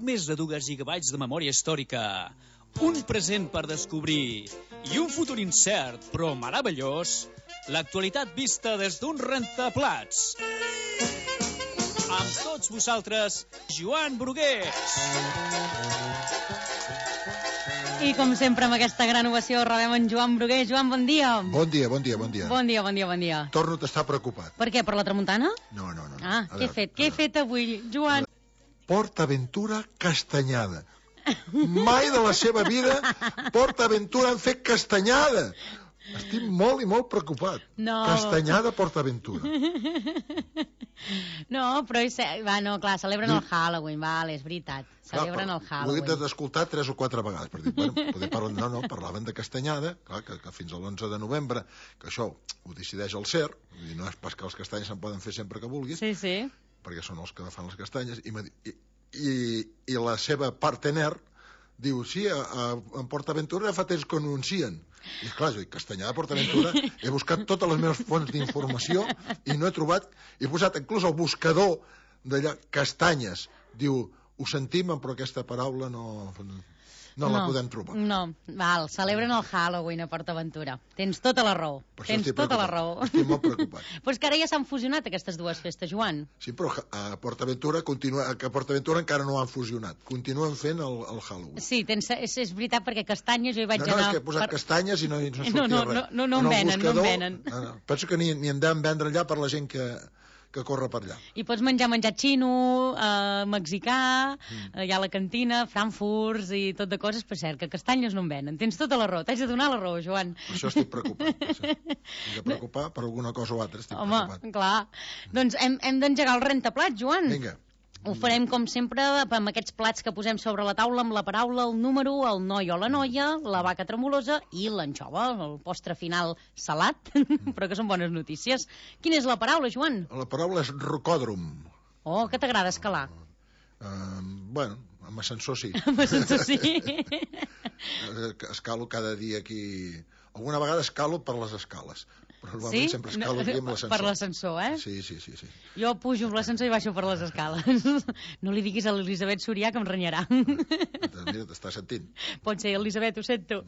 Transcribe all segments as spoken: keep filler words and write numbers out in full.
més de dos gigabytes de memòria històrica, un present per descobrir i un futur incert, però meravellós, l'actualitat vista des d'un rentaplats. Amb tots vosaltres, Joan Brugués. I com sempre, amb aquesta gran ovació, rebem en Joan Brugués. Joan, bon dia. Bon dia, bon dia, bon dia. Bon dia, bon dia, bon dia. Torno a estar preocupat. Per què, per la tramuntana? No, no, no. Ah, què he fet? Què he fet avui, Joan? PortAventura Castanyada. Mai de la seva vida PortAventura han fet castanyada. Estic molt i molt preocupat. No. Castanyada PortAventura. No, però és... Va, no, clar, celebren el Halloween, vale, és veritat. Celebren el Halloween. Ho he d'escoltar tres o quatre vegades, per dir, bueno, poder parlar... No, no, parlaven de castanyada, clar, que, que fins a l'onze de novembre, que això ho decideix el C E R, vull dir, no és pas que els castanyes se'n poden fer sempre que vulguis, sí, sí, perquè són els que fan les castanyes, i, i, i, i la seva partener diu, sí, a, a, en PortAventura fa temps que ho anuncien. I clar, jo dic, Castanyada, PortAventura, he buscat totes les meves fonts d'informació i no he trobat, he posat inclús el buscador d'allà, castanyes, diu, ho sentim, però aquesta paraula no... No, no la podem trobar. No, val, celebren el Halloween a PortAventura. Tens tota la raó. Tens tota la raó. Estic molt preocupat. Però és que ara ja s'han fusionat aquestes dues festes, Joan. Sí, però a PortAventura continua, a PortAventura encara no han fusionat. Continuen fent el, el Halloween. Sí, tens, és, és veritat, perquè castanyes jo hi vaig no, no, anar... No, és que he posat per... castanyes i no, no sortia no, no, res. No, no, no, no en venen, buscador, no en venen. No, no. Penso que ni, ni en deuen vendre allà per la gent que... que corre per allà. I pots menjar menjar xino, eh, mexicà, mm. eh, hi ha la cantina, frankfurts i tot de coses, per cert, que castanyes no en venen. Tens tota la raó, t'haig de donar la raó, Joan. Per això estic preocupat. Sí. M'he de preocupar per alguna cosa o altra, estic Home, preocupat. Home, clar. Mm. Doncs hem, hem d'engegar el rentaplats, Joan. Vinga. Ho farem, com sempre, amb aquests plats que posem sobre la taula, amb la paraula, el número, el noi o la noia, la vaca tremolosa i l'anxova, el postre final salat, però que són bones notícies. Quina és la paraula, Joan? La paraula és rocòdrom. Oh, que t'agrada escalar? Uh, bueno, amb ascensor sí. Amb ascensor sí. Escalo cada dia aquí... Alguna vegada escalo per les escales. Però normalment sí? sempre escalo aquí amb l'ascensor. Per l'ascensor, eh? Sí, sí, sí, sí. Jo pujo amb l'ascensor i baixo per les escales. No li diguis a l'Elisabet Sorià que em renyarà. Mira, t'està sentint. Pot ser, Elisabet, ho sento.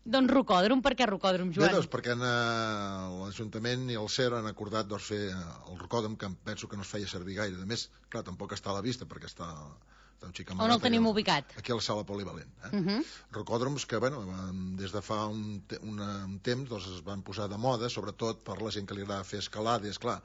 Doncs rocòdrom, per què rocòdrom, Joan? Bé, doncs perquè l'Ajuntament i el C E R han acordat doncs, fer el rocòdrom, que penso que no es feia servir gaire. A més, clar, tampoc està a la vista perquè està... On el tenim ubicat? Aquí a la sala polivalent. Eh? Uh -huh. Rocòdroms que, bueno, des de fa un, te una, un temps doncs, es van posar de moda, sobretot per la gent que li agrada fer escalada, i esclar,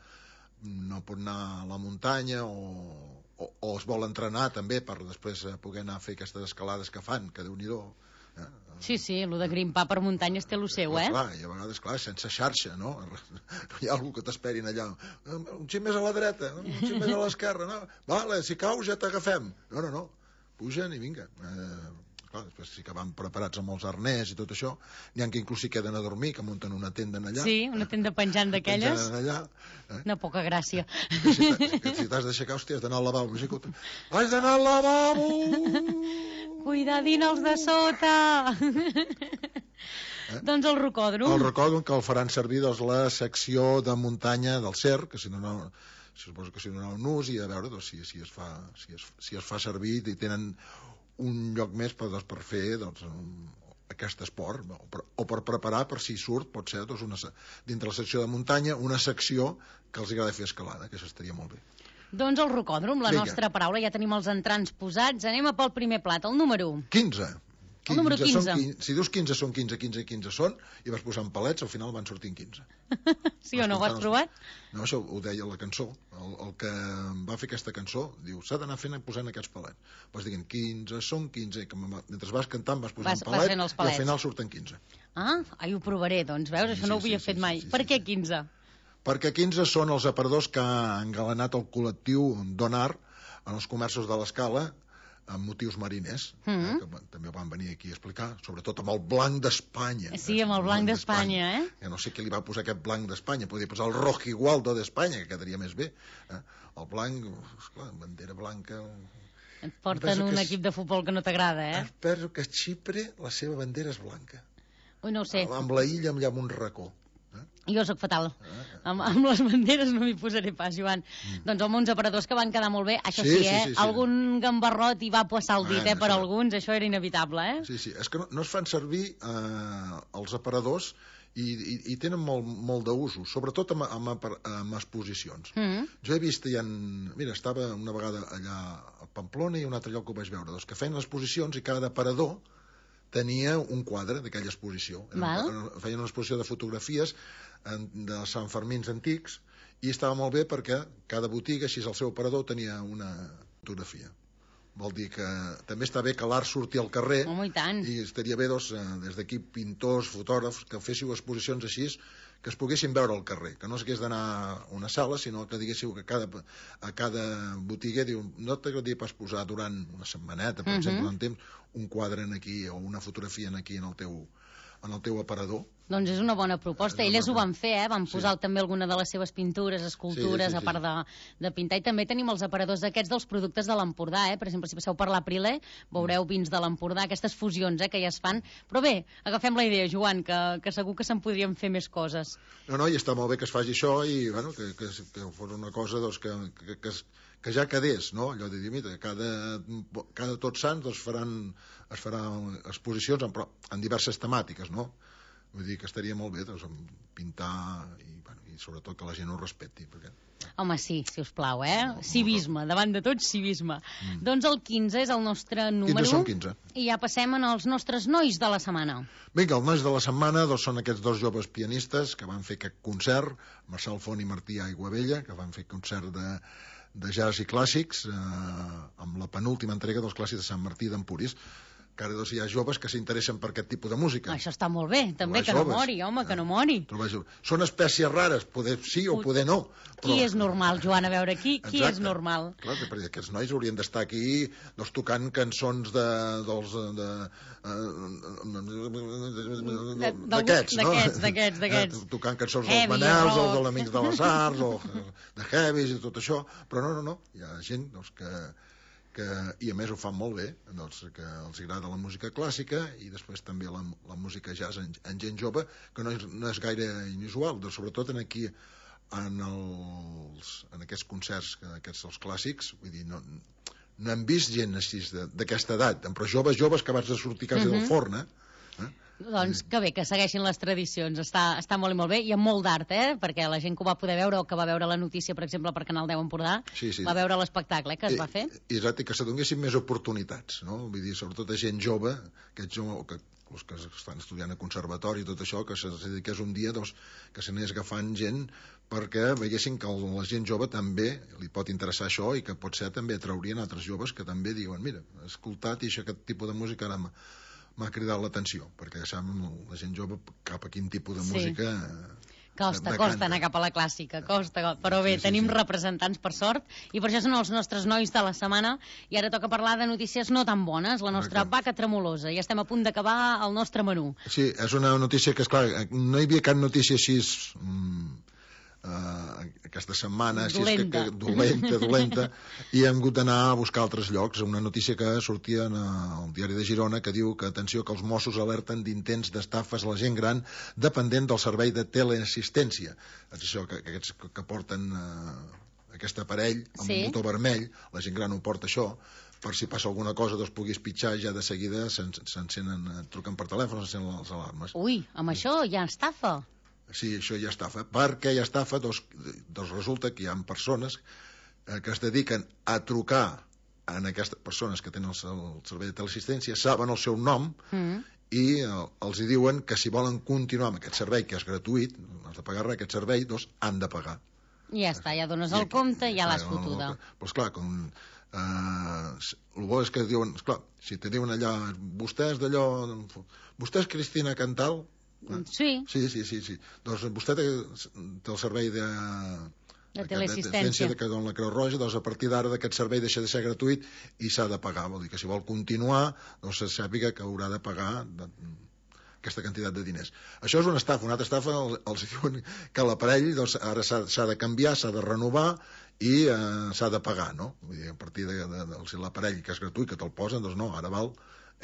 no pot anar a la muntanya o, o, o es vol entrenar també per després poder anar a fer aquestes escalades que fan, que Déu-n'hi-do. Eh? Sí, sí, el de grimpar per muntanyes té el seu, eh? Clar, i a vegades, clar, sense xarxa, no? No hi ha algú que t'esperin allà. Un xic més a la dreta, un xic més a l'esquerra, no? Vale, si caus ja t'agafem. No, no, no, pugen i vinga. Eh, clar, després sí que van preparats amb els arnès i tot això. N'hi ha que inclús hi queden a dormir, que munten una tenda allà. Sí, una tenda penjant d'aquelles. Penjant allà. Eh? Una poca gràcia. Que si, que si t'has d'aixecar, hòstia, has d'anar al lavabo. Has d'anar al lavabo! Cuidadín els de sota! Eh? Doncs el rocòdrom. El rocòdrom, que el faran servir doncs, la secció de muntanya del C E R, que si no, no suposo que si no un ús, i a veure doncs, si, si, es fa, si, es, si es fa servir i tenen un lloc més per, doncs, per fer doncs, un, aquest esport, o per, o per preparar per si surt, pot ser doncs, una, dintre la secció de muntanya, una secció que els agrada fer escalada, que això estaria molt bé. Doncs el rocòdrom, la Vinga. Nostra paraula, ja tenim els entrants posats. Anem a pel primer plat, el número... quinze. El número quinze. Són quinze. Si dius quinze són quinze, quinze i quinze són, i vas posant palets, al final van sortint quinze. Sí o no, ho has provat? No, això ho deia la cançó. El, el que va fer aquesta cançó diu, s'ha d'anar fent posant aquests palets. Vas dient quinze són quinze, i que mentre vas cantant vas posant vas, palet, vas i al final surten quinze. Ah, ai, ho provaré, doncs, veus? Això sí, no ho havia sí, fet sí, mai. Sí, sí, per sí, què quinze? Perquè quinze són els aparadors que ha engalanat el col·lectiu Donar en els comerços de l'Escala amb motius mariners, mm -hmm. eh, que també van venir aquí a explicar, sobretot amb el blanc d'Espanya. Sí, amb el blanc d'Espanya, eh? Ja no sé qui li va posar aquest blanc d'Espanya, podria posar el rojigualdo d'Espanya, que quedaria més bé. Eh? El blanc, esclar, bandera blanca... Et porten un equip de futbol que no t'agrada, eh? Penso que a Xipre la seva bandera és blanca. Ui, no ho sé. Amb la illa amb allà amb un racó. Jo sóc fatal. Amb, amb les banderes no m'hi posaré pas, Joan. Mm. Doncs home, uns aparadors que van quedar molt bé. Això sí, sí, eh? Sí, sí, sí. Algun gambarrot hi va passar el dit, eh? Per alguns, això era inevitable, eh? Sí, sí. És que no, no es fan servir eh, els aparadors i, i, i tenen molt, molt d'usos, sobretot amb, amb, amb exposicions. Mm -hmm. Jo he vist, ja en... mira, estava una vegada allà a Pamplona i un altre lloc que ho vaig veure, doncs que feien exposicions i cada aparador tenia un quadre d'aquella exposició. Era, feien una exposició de fotografies de Sant Fermins antics i estava molt bé perquè cada botiga, així el seu aparador, tenia una fotografia. Vol dir que també està bé que l'art surti al carrer. Oh, i tant. I estaria bé, doncs, des d'aquí, pintors, fotògrafs, que féssiu exposicions així, que es poguessin veure al carrer, que no s'hagués d'anar a una sala, sinó que diguéssiu que cada, a cada botiga diu, no t'agradaria pas posar durant una setmaneta, per uh -huh. exemple, en temps, un quadre en aquí o una fotografia en aquí en el teu, en el teu aparador. Doncs és una bona proposta. Elles ho van fer, eh? Van posar sí. també alguna de les seves pintures, escultures, sí, sí, sí. a part de, de pintar. I també tenim els aparadors aquests dels productes de l'Empordà, eh? Per exemple, si passeu per l'Aprilé, veureu vins de l'Empordà, aquestes fusions eh, que ja es fan. Però bé, agafem la idea, Joan, que, que segur que se'n podrien fer més coses. No, no, i està molt bé que es faci això i, bueno, que, que, que fos una cosa, doncs, que, que, que, que ja quedés, no? Allò de dir, mira, cada, cada Tots Sants doncs, faran, es faran exposicions en, en diverses temàtiques, no? Vull dir que estaria molt bé doncs, pintar i, bueno, i sobretot que la gent ho respecti. Perquè... Home, sí, si us plau, eh? No, civisme, no. Davant de tot, civisme. Mm. Doncs el quinze és el nostre número. quinze són quinze. I ja passem als nostres nois de la setmana. Vinga, els nois de la setmana doncs, són aquests dos joves pianistes que van fer aquest concert, Marçal Font i Martí Aiguabella, que van fer concert de, de jazz i clàssics eh, amb la penúltima entrega dels clàssics de Sant Martí d'Empúries, que ara doncs, hi ha joves que s'interessen per aquest tipus de música. Això està molt bé, també, que joves. no mori, home, que no mori. Són espècies rares, poder sí o poder no. Però... Qui és normal, Joan? A veure, qui, qui és normal? Clar, perquè aquests nois haurien d'estar aquí doncs, tocant cançons de, dels... d'aquests, no? D'aquests, d'aquests. Tocant cançons dels Manels, o dels Amics de les Arts, o de Heavis i tot això. Però no, no, no. Hi ha gent doncs, que... Que, i a més ho fan molt bé, doncs, que els agrada la música clàssica i després també la, la música jazz en, en gent jove, que no és, no és gaire inusual, doncs, sobretot en aquí en, els, en aquests concerts que, aquests els clàssics, vull dir, no, no hem vist gent així d'aquesta edat, però joves, joves que abans de sortir quasi uh -huh. del forn, eh? eh? Doncs que bé, que segueixin les tradicions, està, està molt i molt bé, i amb molt d'art, eh? Perquè la gent que ho va poder veure o que va veure la notícia, per exemple, per Canal deu Empordà, sí, sí. va veure l'espectacle eh, que es I, va fer. I, exacte, que s'adonguessin més oportunitats, no? Vull dir, sobretot a gent jove, que, que els que estan estudiant a conservatori i tot això, que se dediqués un dia doncs, que se n'anés agafant gent perquè veiessin que la gent jove també li pot interessar això i que potser també atraurien altres joves que també diuen, mira, he escoltat i això, aquest tipus de música ara m'ha cridat l'atenció, perquè ja saben la gent jove cap a quin tipus de sí. música... Costa, costa anar cap a la clàssica, costa, però bé, sí, sí, tenim sí. representants per sort, i per això són els nostres nois de la setmana, i ara toca parlar de notícies no tan bones, la nostra Exacte. vaca tremolosa, i estem a punt d'acabar el nostre menú. Sí, és una notícia que, esclar, no hi havia cap notícia així... Mm, Uh, aquesta setmana així dolenta. Que, que, dolenta, dolenta i hem hagut d'anar a buscar altres llocs. Una notícia que sortia en el diari de Girona que diu que, atenció, que els Mossos alerten d'intents d'estafes a la gent gran dependent del servei de teleassistència. És això, que, que aquests que porten uh, aquest aparell amb sí. un botó vermell, la gent gran ho porta això, per si passa alguna cosa doncs puguis pitjar ja de seguida s'encenen, truquen per telèfon, s'encenen les alarmes. Ui, amb això ja estafa. Sí, això ja estafa. Per què ja estafa? Doncs, doncs resulta que hi ha persones eh, que es dediquen a trucar a aquestes persones que tenen el, el servei de teleassistència, saben el seu nom mm. i eh, els hi diuen que si volen continuar amb aquest servei, que és gratuït, no has de pagar res, aquest servei, doncs han de pagar. I ja està, ja dones el compte i ja l'has fotuda. Doncs clar, com... Uh, el bo és que diuen, esclar, si te diuen allà, vostè és d'allò, vostè és Cristina Cantal. Sí. Sí, sí, sí, sí. Doncs vostè té, té el servei de... de teleassistència de que dona la Creu Roja, doncs a partir d'ara d'aquest servei deixa de ser gratuït i s'ha de pagar. Vol dir que si vol continuar, doncs se sàpiga que haurà de pagar de, aquesta quantitat de diners. Això és una estafa. Una altra estafa els, els diuen que l'aparell doncs, ara s'ha de canviar, s'ha de renovar i eh, s'ha de pagar, no? Vull dir, a partir de, de, de, de l'aparell que és gratuït, que te'l posen, doncs no, ara val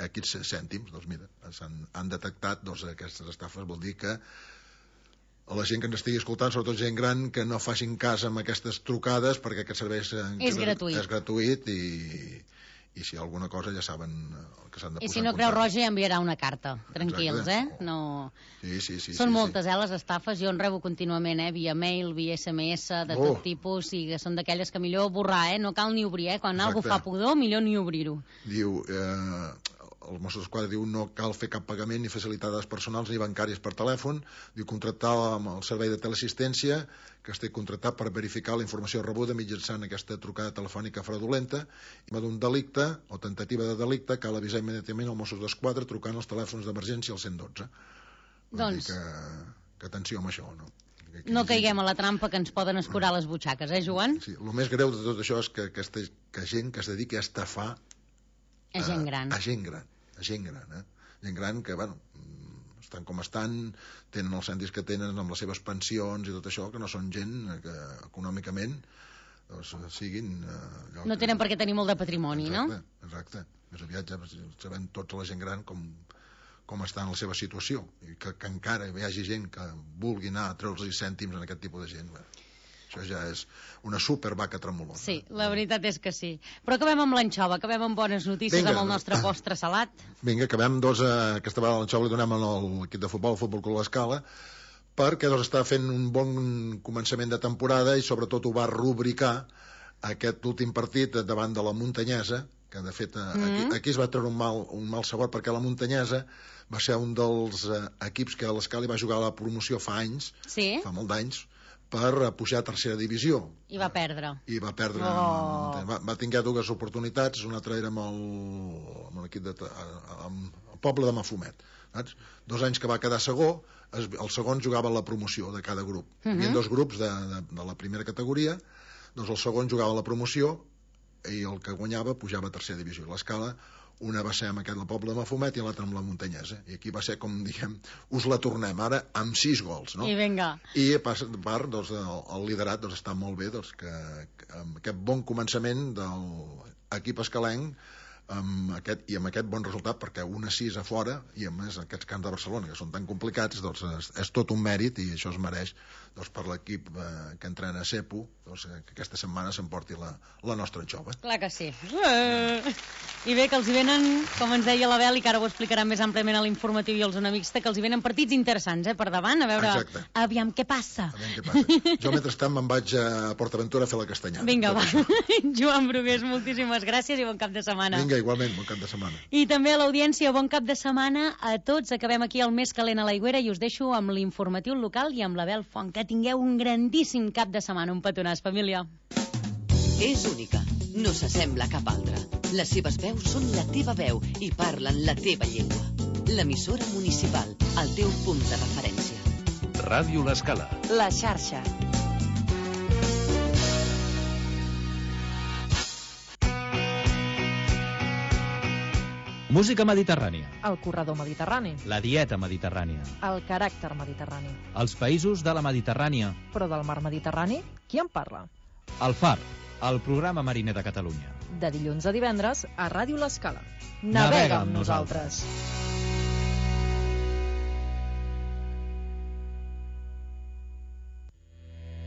aquests cèntims. Doncs mira, han, han detectat doncs, aquestes estafes, vol dir que a la gent que ens estigui escoltant, sobretot gent gran, que no facin cas amb aquestes trucades, perquè aquest servei és, és gratuït, és gratuït i, i si hi ha alguna cosa ja saben que s'han de posar en contacte. I si no, Creu Roja ja enviarà una carta, tranquils, Exacte. eh? No... Sí, sí, sí. Són sí, moltes, sí. eh, les estafes, jo en rebo contínuament, eh, via mail, via S M S, de Oh. tot tipus, i que són d'aquelles que millor borrar, eh? No cal ni obrir, eh? Quan Exacte. algú fa pudor, millor ni obrir-ho. Diu, eh, el Mossos d'Esquadra diu no cal fer cap pagament ni facilitar dades personals ni bancàries per telèfon, diu contractar amb el servei de teleassistència que estigui contractat per verificar la informació rebuda mitjançant aquesta trucada telefònica fraudulenta i d'un delicte o tentativa de delicte cal avisar immediatament al Mossos d'Esquadra trucant als telèfons d'emergència al cent i dotze. Vull Doncs... dir que, que atenció amb això, no? Que, que no caiguem a la trampa que ens poden escurar les butxaques, eh, Joan? Sí, el més greu de tot això és que aquesta que gent que es dediqui a estafar a gent gran. A, a gent gran, a gent gran, eh? Gent gran que, bueno, estan com estan, tenen els cèntims que tenen amb les seves pensions i tot això, que no són gent que econòmicament doncs, siguin... Eh, no tenen per què tenir molt de patrimoni, exacte, no? Exacte, més aviat ja sabem tots la gent gran com, com està en la seva situació i que, que encara hi hagi gent que vulgui anar a treure'ls cèntims en aquest tipus de gent. Bé, això ja és una super vaca tremolosa. Sí, la veritat és que sí. Però acabem amb l'anxova, acabem amb bones notícies. Vinga. Amb el nostre postre salat. Vinga, acabem, doncs, eh, aquesta vegada l'anxova li donem a l'equip de futbol, el Futbol Club L'Escala, perquè doncs, està fent un bon començament de temporada i sobretot ho va rubricar aquest últim partit davant de la Muntanyesa, que de fet mm-hmm. aquí, aquí es va treure un mal, un mal sabor perquè la Muntanyesa va ser un dels eh, equips que l'Escala va jugar a la promoció fa anys, sí? fa molt d'anys, per pujar a tercera divisió. I va perdre. I va perdre. Oh. Va, va tenir dues oportunitats, una altra era amb el, amb l'equip de... amb el poble de Mafumet. Saps? Dos anys que va quedar segó, es, el segon jugava la promoció de cada grup. Uh-huh. Hi havia dos grups de, de, de la primera categoria, doncs el segon jugava la promoció i el que guanyava pujava a tercera divisió. L'Escala, una va ser amb aquest del poble de Mafumet i l'altra amb la Muntanyesa. I aquí va ser, com diguem, us la tornem ara amb sis gols, no? I vinga. I a part, doncs, el, el liderat doncs, està molt bé, doncs, que, que amb aquest bon començament de l'equip escalenc amb aquest, i amb aquest bon resultat, perquè un a sis a fora, i a més aquests camps de Barcelona, que són tan complicats, doncs és, és tot un mèrit i això es mereix doncs, per l'equip eh, que entrena a Cepo, doncs, que aquesta setmana s'emporti la, la nostra anxova. Clar que sí. Uh, I bé, que els hi venen, com ens deia la Beli, que ara ho explicarà més àmpliament a l'informatiu i als amics, que els hi venen partits interessants, eh, per davant, a veure, exacte. Aviam què passa. Aviam què passa. Jo, mentrestant, me'n vaig a PortAventura a fer la castanyada. Vinga, va. Joan Brugués, moltíssimes gràcies i bon cap de setmana. Vinga, igualment, bon cap de setmana. I també a l'audiència, bon cap de setmana a tots. Acabem aquí el més calent a l'aigüera i us deixo amb l'informatiu local i amb la Bel Font. Que tingueu un grandíssim cap de setmana. Un petonàs, família. És única, no s'assembla a cap altra. Les seves veus són la teva veu i parlen la teva llengua. L'emissora municipal, el teu punt de referència. Ràdio L'Escala. La xarxa. Música mediterrània. El corredor mediterrani. La dieta mediterrània. El caràcter mediterrani. Els països de la Mediterrània. Però del mar Mediterrani, qui en parla? El Far, el programa mariner de Catalunya. De dilluns a divendres a Ràdio L'Escala. Navega amb nosaltres.